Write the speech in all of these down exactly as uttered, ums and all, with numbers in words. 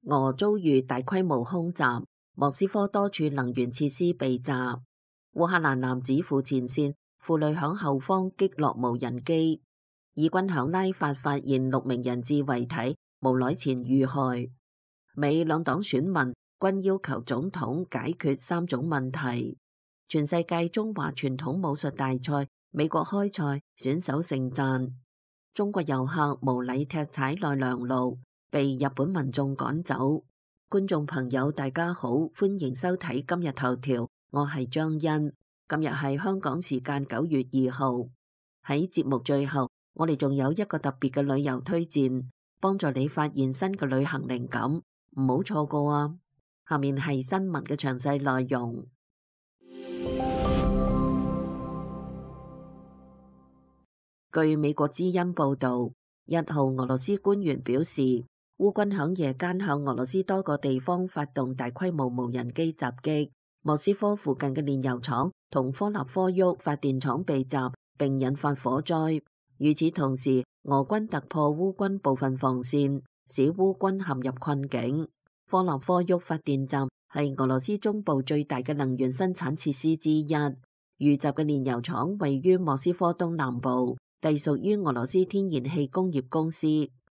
俄遭遇大規模空襲，莫斯科多處能源設施被襲。烏克蘭男子赴前線，婦女響後方擊落無人機。以軍響拉法發現六名人質遺體，無耐前遇害。美兩黨選民均要求總統解決三種問題。全世界中華傳統武術大賽，美國開賽，選手盛讚。中國遊客無禮踢踩奈良路，被日本民眾趕走。觀眾朋友大家好，歡迎收睇今日頭條，我係張欣。今日係香港時間九月二號。喺節目最後，我哋仲有一個特別嘅旅遊推薦，幫助你發現新嘅旅行靈感，唔好錯過啊！下面係新聞嘅詳細內容。據美國之音報道，一號俄羅斯官員表示，烏軍響夜間向俄羅斯多個地方發動大規模無人機襲擊，莫斯科附近嘅煉油廠同科納科沃發電廠被襲，並引發火災。與此同時，俄軍突破烏軍部分防線，使烏軍陷入困境。科納科沃發電站係俄羅斯中部最大嘅能源生產設施之一。遇襲嘅煉油廠位於莫斯科東南部，隸屬於俄羅斯天然氣工業公司。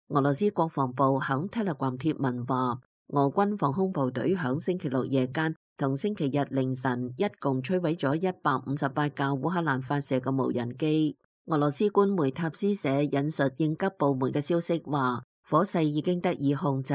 俄羅斯國防部響 Telegram 貼文話，俄軍防空部隊響星期六夜間同星期日凌晨一共摧毀咗一百五十八架烏克蘭發射嘅無人機。俄羅斯官媒塔斯社引述應急部門嘅消息話，火勢已經得以控制。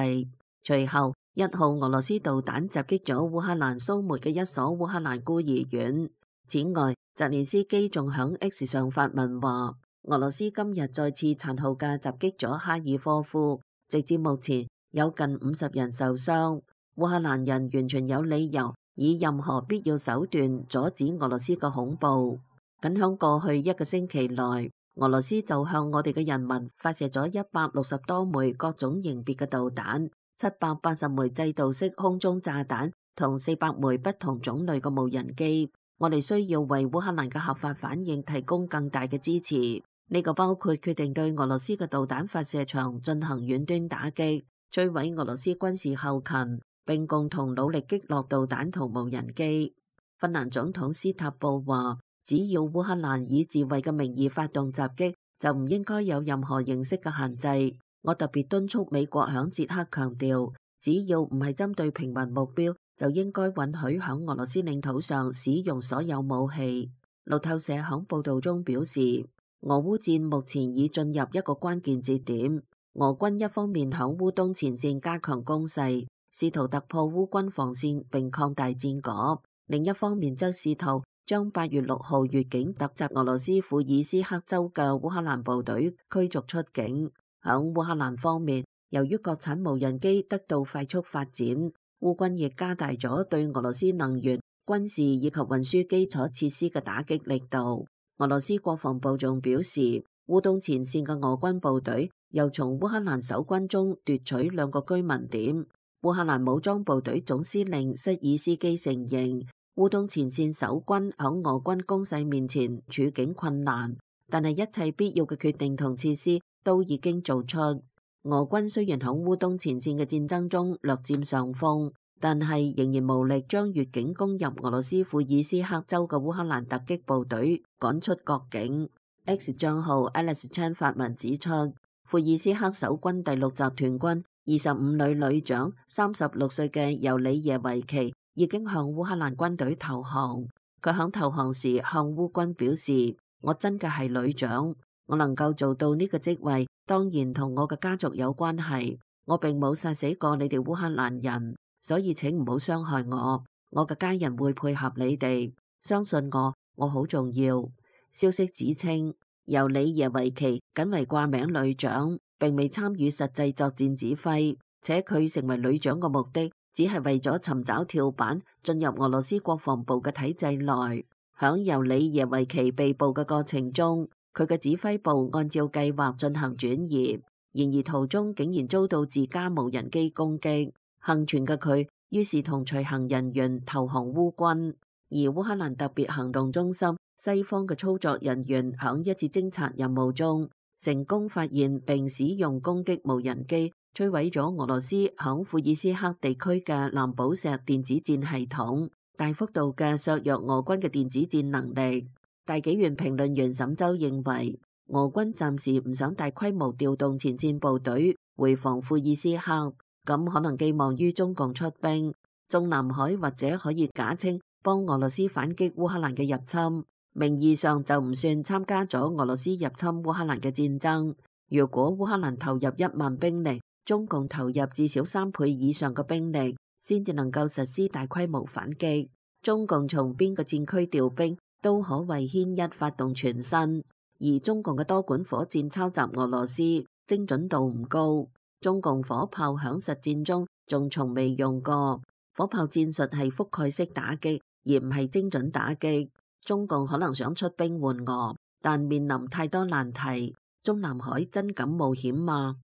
隨後，一號俄羅斯導彈襲擊咗烏克蘭蘇梅嘅一所烏克蘭孤兒院。此外，澤連斯基仲響 X 上發文話，俄羅斯今日再次殘酷嘅襲擊咗哈爾科夫，直至目前有近五十人受傷。烏克蘭人完全有理由以任何必要手段阻止俄羅斯嘅恐怖。僅響過去一個星期內，俄羅斯就向我哋嘅人民發射咗一百六十多枚各種型別嘅導彈，七百八十枚制導式空中炸彈同四百枚不同種類嘅無人機。我哋需要為烏克蘭嘅合法反應提供更大嘅支持。呢、這個包括決定對俄羅斯嘅導彈發射場進行遠端打擊，摧毀俄羅斯軍事後勤，並共同努力擊落導彈同無人機。芬蘭總統斯塔布話，只要烏克蘭以自衛嘅名義發動襲擊，就唔應該有任何形式嘅限制。我特別敦促美國響捷克強調，只要唔係針對平民目標，就應該允許響俄羅斯領土上使用所有武器。路透社響報道中表示，俄烏戰目前已進入一個關鍵節點。俄軍一方面響烏東前線加強攻勢，試圖突破烏軍防線並擴大戰果；另一方面則試圖將八月六號越境突襲俄羅斯庫爾斯克州嘅烏克蘭部隊驅逐出境。響烏克蘭方面，由於國產無人機得到快速發展，烏軍亦加大咗對俄羅斯能源、軍事以及運輸基礎設施嘅打擊力度。俄羅斯國防部仲表示，烏東前線嘅俄軍部隊又從烏克蘭守軍中奪取兩個居民點。烏克蘭武裝部隊總司令瑟爾斯基承認，烏東前線守軍響俄軍攻勢面前處境困難，但係一切必要嘅決定同設施都已經做出。俄軍雖然響烏東前線嘅戰爭中略佔上風，但係仍然無力將越境攻入俄羅斯庫爾斯克州嘅烏克蘭突擊部隊趕出國境。X 賬號 Alex Chan 發文指出，庫爾斯克守軍第六集團軍二十五旅旅長三十六歲嘅尤里耶維奇已經向烏克蘭軍隊投降。佢響投降時向烏軍表示，我真嘅係旅長，我能夠做到呢個職位，當然同我嘅家族有關係。我並冇殺死過你哋烏克蘭人，所以請唔好傷害我。我嘅家人會配合你哋，相信我，我好重要。消息指稱，尤里耶維奇僅為掛名旅長，並未參與實際作戰指揮，且佢成為旅長嘅目的只係為咗尋找跳板進入俄羅斯國防部嘅體制內。響尤里耶維奇被捕嘅過程中，佢嘅指揮部按照計劃進行轉移，然而途中竟然遭到自家無人機攻擊。幸存嘅佢於是同隨行人員投降烏軍。而烏克蘭特別行動中心西方嘅操作人員響一次偵察任務中，成功發現並使用攻擊無人機摧毀咗俄羅斯響庫爾斯克地區嘅藍寶石電子戰系統，大幅度嘅削弱俄軍嘅電子戰能力。大紀元評論員沈周認為，俄軍暫時唔想大規模調動前線部隊回防庫爾斯克，咁可能寄望於中共出兵，中南海或者可以假稱幫俄羅斯反擊烏克蘭嘅入侵，名義上就唔算參加咗俄羅斯入侵烏克蘭嘅戰爭。如果烏克蘭投入一萬兵力，中共投入至少三倍以上嘅兵力，先至能夠實施大規模反擊。中共從邊個戰區調兵都可為牽一發動全身，而中共嘅多管火箭抄襲俄羅斯，精準度唔高。中共火炮響實戰中仲從未用過，火炮戰術係覆蓋式打擊，而唔係精準打擊。中共可能想出兵援俄，但面臨太多難題。中南海真敢冒險嗎？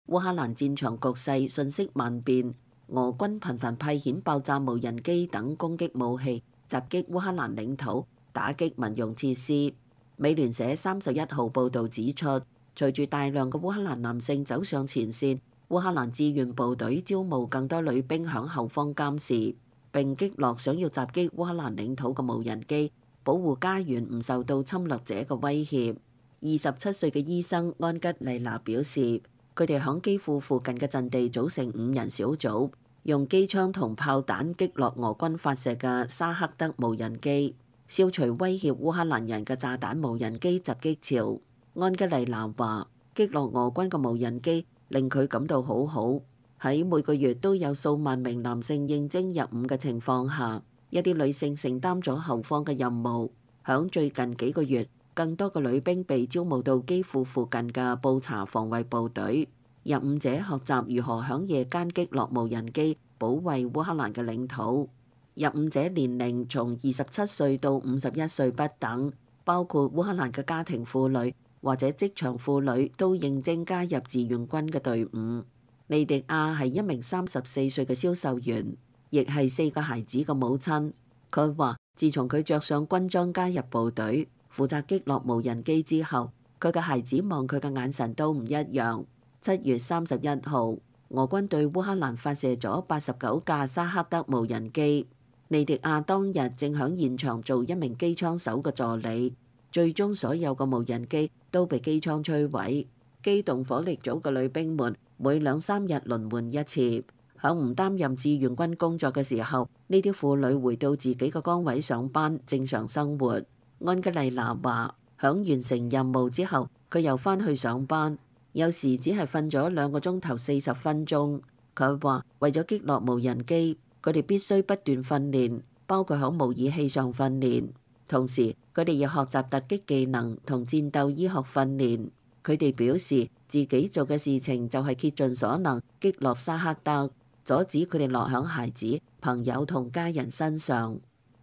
烏克蘭戰場局勢瞬息萬變，俄軍頻繁派遣爆炸無人機等攻擊武器，襲擊烏克蘭領土，打擊民用設施。美聯社三十一號報導指出，隨住大量嘅烏克蘭男性走上前線，烏克蘭志願部隊招募更多女兵響後方監視，並擊落想要襲擊烏克蘭領土嘅無人機，保護家園唔受到侵略者嘅威脅。二十七歲嘅醫生安吉麗娜表示，佢哋響基輔附近嘅陣地組成五人小組，用機槍同炮彈擊落俄軍發射嘅沙克德無人機，消除威脅烏克蘭人嘅炸彈無人機襲擊潮。安吉麗娜話，擊落俄軍嘅無人機令佢感到好好。喺每個月都有數萬名男性應徵入伍嘅情況下，一啲女性承擔咗後方嘅任務。響最近幾個月，更多嘅女兵被招募到基輔附近嘅布查防衛部隊。入伍者學習如何響夜間擊落無人機，保衛烏克蘭嘅領土。入伍者年齡從二十七歲到五十一歲不等，包括烏克蘭嘅家庭婦女或者職場婦女都應徵加入志願軍嘅隊伍。利迪亞係一名三十四歲嘅銷售員，亦係四個孩子嘅母親。佢話，自從佢着上軍裝加入部隊，負責擊落無人機之後，佢嘅孩子望佢嘅眼神都唔一樣。七月三十一號，俄軍對烏克蘭發射咗八十九架沙克德無人機。利迪亞當日正響現場做一名機槍手嘅助理，最終所有嘅無人機都被機槍摧毀。機動火力組嘅女兵們每兩三日輪換一次，響唔擔任志願軍工作嘅時候，呢啲婦女回到自己嘅崗位上班，正常生活。安吉麗娜話，響完成任務之後，佢又返去上班，有時只係瞓咗兩個鐘頭四十分鐘。佢話，為咗擊落無人機，佢哋必須不斷訓練，包括響模擬器上訓練，同時佢哋要學習突擊技能同戰鬥醫學訓練。佢哋表示自己做嘅事情就係竭盡所能擊落沙克德，阻止佢哋落響孩子、朋友同家人身上。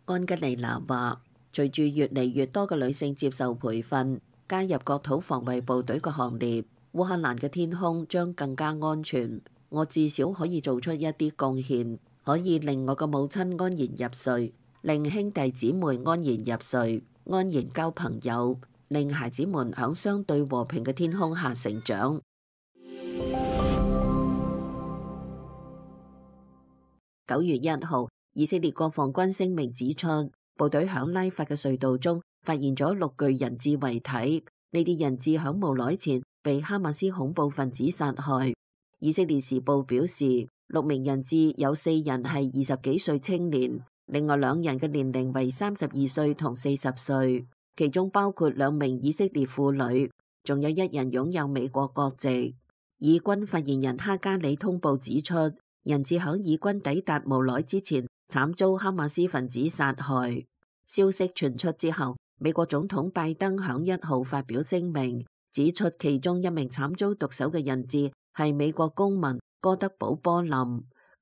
安吉麗娜話，隨住越嚟越多嘅女性接受培訓，加入國土防衛部隊嘅行列，烏克蘭嘅天空將更加安全。我至少可以做出一啲貢獻，可以令我嘅母親安然入睡，令兄弟姊妹安然入睡，安然交朋友，令孩子們響相對和平嘅天空下成長。九月一號，以色列國防軍聲明指出，部隊響拉法嘅隧道中發現咗六具人質遺體，呢啲人質響無耐前被哈馬斯恐怖分子殺害。以色列時報表示，六名人質有四人係二十幾歲青年，另外兩人嘅年齡為三十二歲同四十歲，其中包括兩名以色列婦女，仲有一人擁有美國國籍。以軍發言人哈加里通報指出，人質響以軍抵達無耐之前慘遭哈馬斯分子殺害。消息傳出之後，美國總統拜登響一號發表聲明，指出其中一名慘遭毒手嘅人質係美國公民哥德堡波林。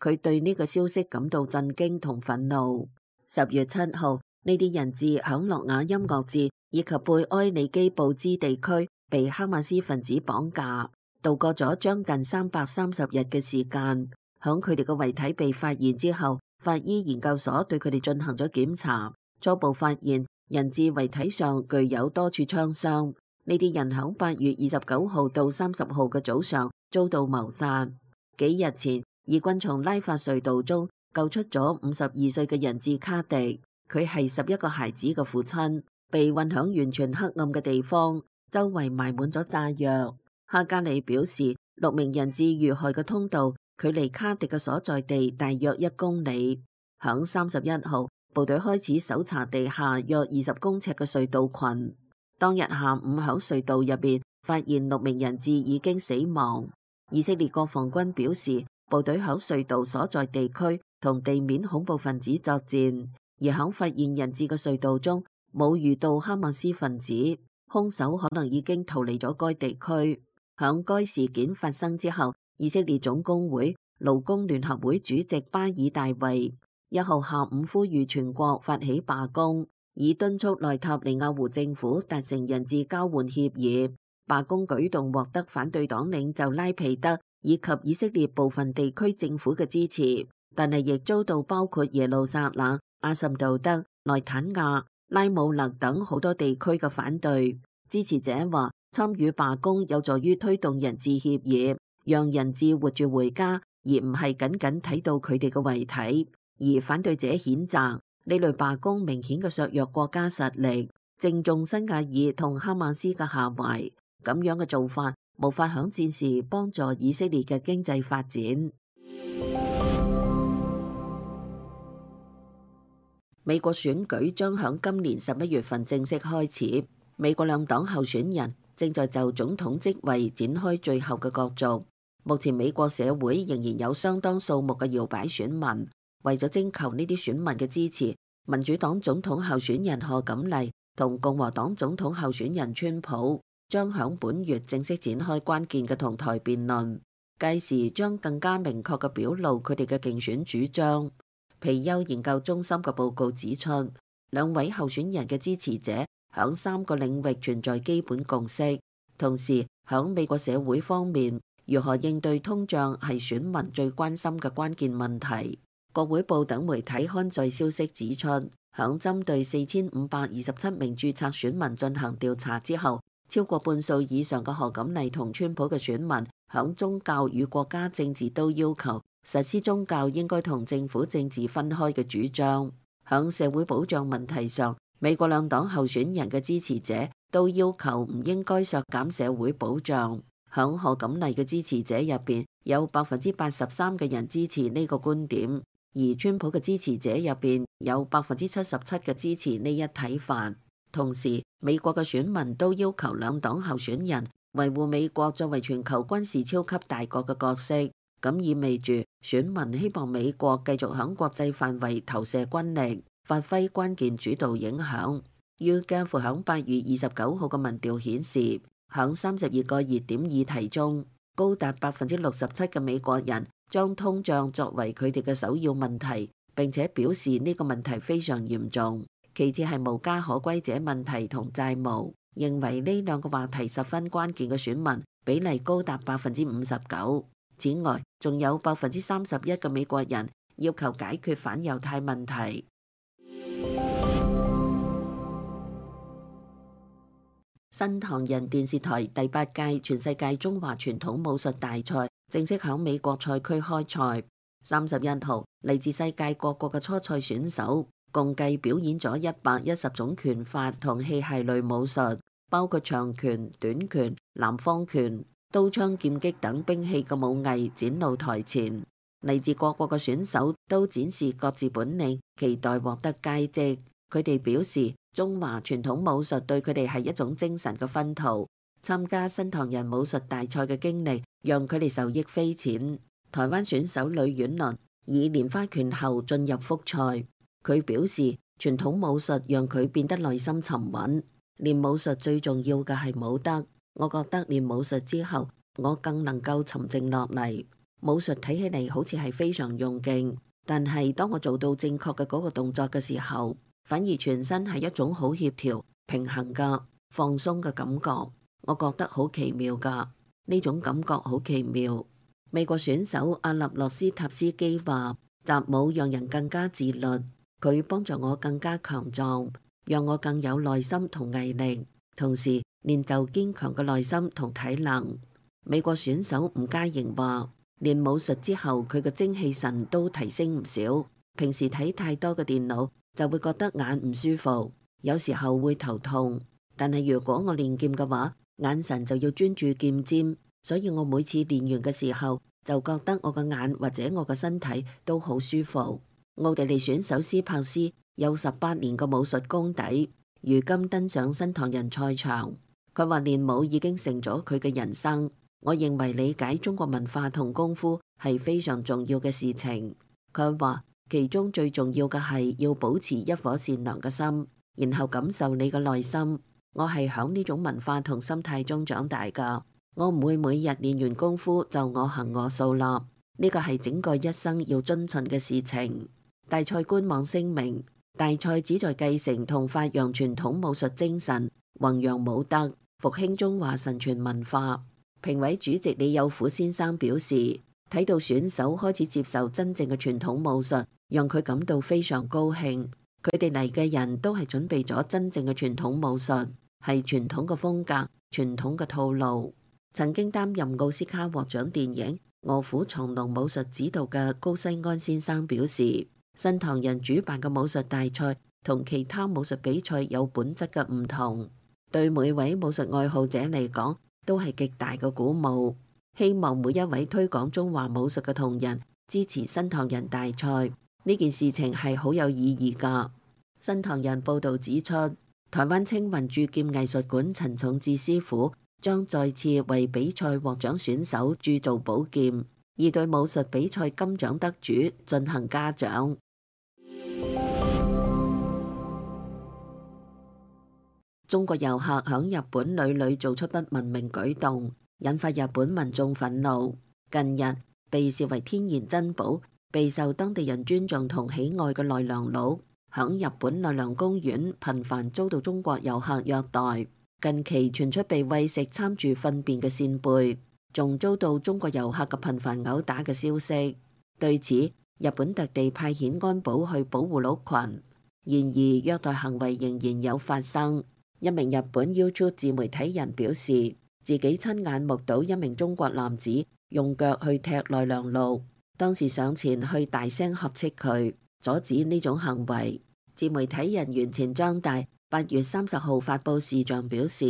佢對呢個消息感到震驚同憤怒。十月七號，呢啲人質響諾瓦音樂節以及貝埃里基布茲地區被哈馬斯分子綁架，度過咗將近三百三十日嘅時間。響佢哋嘅遺體被發現之後，法醫研究所對佢哋進行咗檢查，初步發現人質遺體上具有多處槍傷。呢啲人喺八月二十九號到三十號嘅早上遭到謀殺。幾日前，以軍從拉法隧道中救出咗五十二歲嘅人質卡迪，佢係十一個孩子嘅父親，被運響完全黑暗嘅地方，周圍埋滿咗炸藥。哈加里表示，六名人質遇害嘅通道距離卡迪嘅所在地大約一公里。響三十一號，部隊開始搜查地下約二十公尺嘅隧道群。當日下午響隧道入邊發現六名人質已經死亡。以色列國防軍表示，部隊響隧道所在地區同地面恐怖分子作戰，而響發現人質嘅隧道中冇遇到哈馬斯分子，兇手可能已經逃離咗該地區。響該事件發生之後，以色列總工會勞工聯合會主席巴爾大衛一號下午呼籲全國發起罷工，以敦促內塔尼亞胡政府達成人質交換協議。罷工舉動獲得反對黨領袖拉皮德以及以色列部分地區政府嘅支持，但係亦遭到包括耶路撒冷、阿什杜德、內坦亞、拉姆勒等好多地區嘅反對。支持者話，參與罷工有助於推動人質協議，讓人質活住回家，而唔係僅僅睇到佢哋嘅遺體。而反對者譴責呢類罷工明顯嘅削弱國家實力，正中辛瓦爾同哈馬斯嘅下懷。咁樣嘅做法無法響戰時幫助以色列嘅經濟發展。美國選舉將響今年十一月份正式開始，美國兩黨候選人正在就總統職位展開最後嘅角逐。目前美國社會仍然有相當數目嘅搖擺選民，為咗徵求呢啲選民嘅支持，民主黨總統候選人賀錦麗同共和黨總統候選人川普將響本月正式展開關鍵嘅同台辯論，屆時將更加明確嘅表露佢哋嘅競選主張。皮尤研究中心嘅報告指出，兩位候選人嘅支持者響三個領域存在基本共識，同時響美國社會方面，如何應對通脹係選民最關心嘅關鍵問題。國會報等媒體刊載消息指出，響針對四千五百二十七名註冊選民進行調查之後，超過半數以上嘅賀錦麗同川普嘅選民響宗教與國家政治都要求實施宗教應該同政府政治分開嘅主張。響社會保障問題上，美國兩黨候選人嘅支持者都要求唔應該削減社會保障。響賀錦麗嘅支持者入邊，有百分之八十三嘅人支持呢個觀點，而川普嘅支持者入邊有百分之七十七嘅支持呢一睇法。同時，美國嘅選民都要求兩黨候選人維護美國作為全球軍事超級大國嘅角色，咁意味住選民希望美國繼續響國際範圍投射軍力，發揮關鍵主導影響。YouGov響八月二十九號嘅民調顯示，響三十二個熱點議題中，高達百分之六十七嘅美國人將通脹作為佢哋嘅首要問題，並且表示呢個問題非常嚴重。其次係無家可歸者問題同債務，認為呢兩個話題十分關鍵嘅選民比例高達百分之五十九。此外，仲有百分之三十一嘅美國人要求解決反猶太問題。新唐人電視台第八屆全世界中華傳統武術大賽正式響美國賽區開賽。三十一號，嚟自世界各國嘅初賽選手共計表演咗一百一十種拳法同器械類武術，包括長拳、短拳、南方拳、刀槍劍擊等兵器嘅武藝展露台前。嚟自各國嘅選手都展示各自本領，期待獲得佳績。佢哋表示，中華傳統武術對佢哋係一種精神嘅熏陶。參加新唐人武術大賽嘅經歷讓佢哋受益匪淺。台灣選手呂婉倫以蓮花拳後進入複賽。佢表示，傳統武術讓佢變得內心沉穩。練武術最重要嘅係武德。我覺得練武術之後，我更能夠沉靜落嚟。武術睇起嚟好似係非常用勁，但係當我做到正確嘅嗰個動作嘅時候，反而全身係一種好協調、平衡嘅放鬆嘅感覺。我覺得好奇妙㗎，呢種感覺好奇妙。美國選手阿納洛斯塔斯基話：習武讓人更加自律。佢幫助我更加強壯，讓我更有耐心同毅力，同時練就堅強嘅內心同體能。美國選手吳嘉瑩話，練武術之後佢嘅精氣神都提升唔少。平時睇太多嘅電腦就會覺得眼唔舒服，有時候會頭痛。但係如果我練劍嘅話，眼神就要專注劍尖，所以我每次練完嘅時候就覺得我嘅眼或者我嘅身體都好舒服。奧地利選手斯帕斯有十八年嘅武術功底，如今登上新唐人賽場。佢話練武已經成咗佢嘅人生。我認為理解中國文化同功夫係非常重要嘅事情。佢話其中最重要嘅係要保持一顆善良嘅心，然後感受你嘅內心。我係響呢種文化同心態中長大㗎。我唔會每日練完功夫就我行我素啦，呢個係整個一生要遵循嘅事情。大賽官網聲明，大賽旨在繼承同發揚傳統武術精神，弘揚武德，復興中華神傳文化。評委主席李有虎先生表示，睇到選手開始接受真正嘅傳統武術，讓佢感到非常高興。佢哋嚟嘅人都係準備咗真正嘅傳統武術，係傳統嘅風格、傳統嘅套路。曾經擔任奧斯卡獲獎電影《臥虎藏龍》武術指導嘅高西安先生表示，新唐人主辦嘅武術大賽同其他武術比賽有本質嘅唔同，對每位武術愛好者嚟講都係極大嘅鼓舞。希望每一位推廣中華武術嘅同仁支持新唐人大賽，呢件事情係好有意義㗎。新唐人報導指出，台灣青雲鑄劍藝術館陳重志師傅將再次為比賽獲獎選手鑄造寶劍，而對武術比賽金獎得主進行嘉獎。中國遊客響日本屢屢做出不文明舉動，引發日本民眾憤怒。近日，被視為天然珍寶、備受當地人尊重同喜愛嘅奈良鹿，響日本奈良公園頻繁遭到中國遊客虐待。近期傳出被餵食摻住糞便嘅扇貝，仲遭到中國遊客嘅頻繁毆打嘅消息。對此，日本特地派遣安保去保護鹿群，然而虐待行為仍然有發生。一名日本 YouTube 自媒體人表示，自己親眼目睹一名中國男子用腳去踢奈良鹿，當時上前去大聲呵斥佢，阻止呢種行為。自媒體人原前張大八月三十號發布視像表示，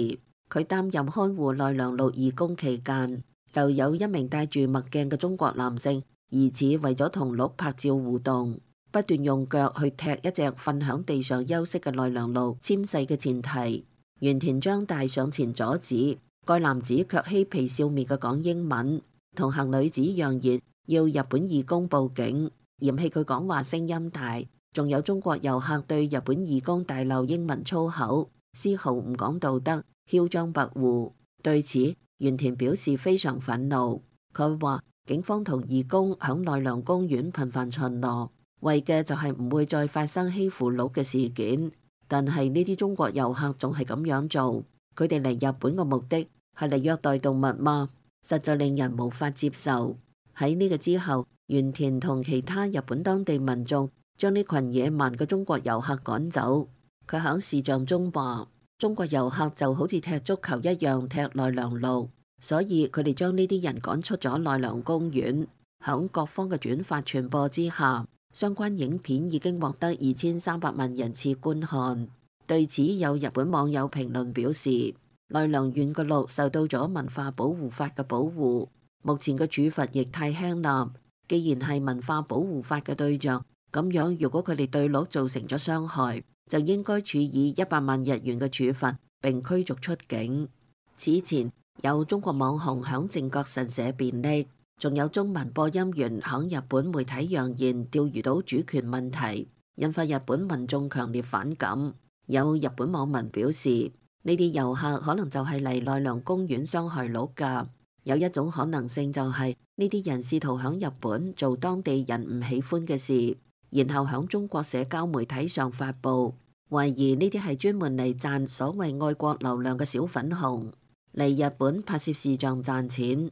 佢擔任看護奈良鹿義工期間，就有一名戴住墨鏡嘅中國男性，疑似為咗同鹿拍照互動，不斷用腳去踢一隻瞓響地上休息嘅奈良鹿纖細嘅前提。原田張大上前阻止，該男子卻嬉皮笑面嘅講英文，同行女子揚言要日本義工報警，嫌棄佢講話聲音大。仲有中國遊客對日本義工大鬧英文粗口，絲毫唔講道德，囂張跋扈。對此，原田表示非常憤怒。佢話警方同義工響奈良公園頻繁巡邏，為嘅就係唔會再發生欺負鹿嘅事件。但係呢啲中國遊客仲係咁樣做，佢哋嚟日本嘅目的係嚟虐待動物嗎？實在令人無法接受。喺呢個之後，原田同其他日本當地民眾將呢群野蠻嘅中國遊客趕走。佢喺視像中話，中國遊客就好似踢足球一樣踢奈良鹿，所以佢哋將呢啲人趕出咗奈良公園。喺各方嘅轉發傳播之下，相關影片已經獲得二千三百萬人次觀看。對此，有日本網友評論表示，奈良縣嘅鹿受到咗文化保護法嘅保護，目前嘅處罰亦太輕啦。既然係文化保護法嘅對象，咁樣如果佢哋對鹿造成咗傷害，就應該處以一百萬日元嘅處罰並驅逐出境。此前有中國網紅響靖國神社便溺，仲有中文播音員響日本媒體揚言釣魚島主權問題，引發日本民眾強烈反感。有日本網民表示，呢啲遊客可能就係嚟奈良公園傷害鹿㗎。有一種可能性就係呢啲人試圖響日本做當地人唔喜歡嘅事，然後響中國社交媒體上發布，懷疑呢啲係專門嚟賺所謂愛國流量嘅小粉紅，嚟日本拍攝視像賺錢。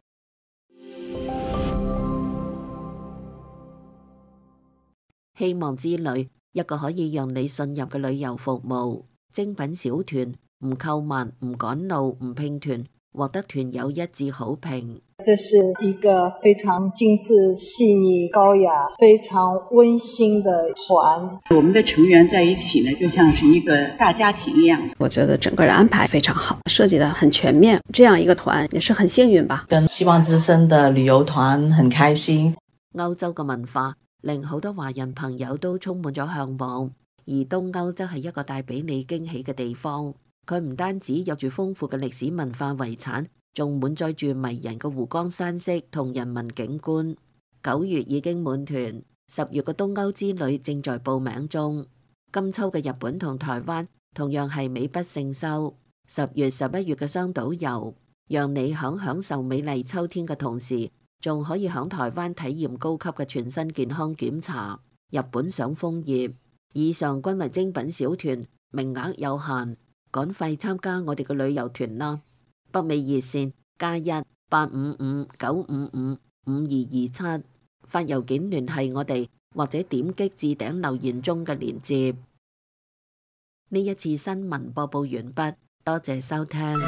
希望之旅，一個可以讓你信任嘅旅遊服務。精品小團，唔購物、唔趕路、唔拼團，獲得團友一致好評。這是一個非常精緻、細膩、高雅、非常溫馨的團。我們的成員在一起呢，就像是一個大家庭一樣。我覺得整個的安排非常好，設計得很全面。這樣一個團也是很幸運吧。跟希望之聲的旅遊團很開心。歐洲嘅文化令好多華人朋友都充滿咗向往，而東歐則係一個帶俾你驚喜嘅地方。佢唔單止有住豐富嘅歷史文化遺產，仲滿載住迷人嘅湖光山色同人文景觀。九月已經滿團，十月嘅東歐之旅正在報名中。今秋嘅日本同台灣同樣係美不勝收。十月、十一月嘅雙島遊，讓你響享受美麗秋天嘅同時，仲可以響台灣體驗高級嘅全身健康檢查。日本賞楓葉，以上均為精品小團，名額有限，趕快參加我哋嘅旅遊團啦！北美熱線加一八五五九五五五二二七，發郵件聯繫我哋，或者點擊置頂留言中嘅鏈接。呢一次新聞播報完畢，多謝收聽。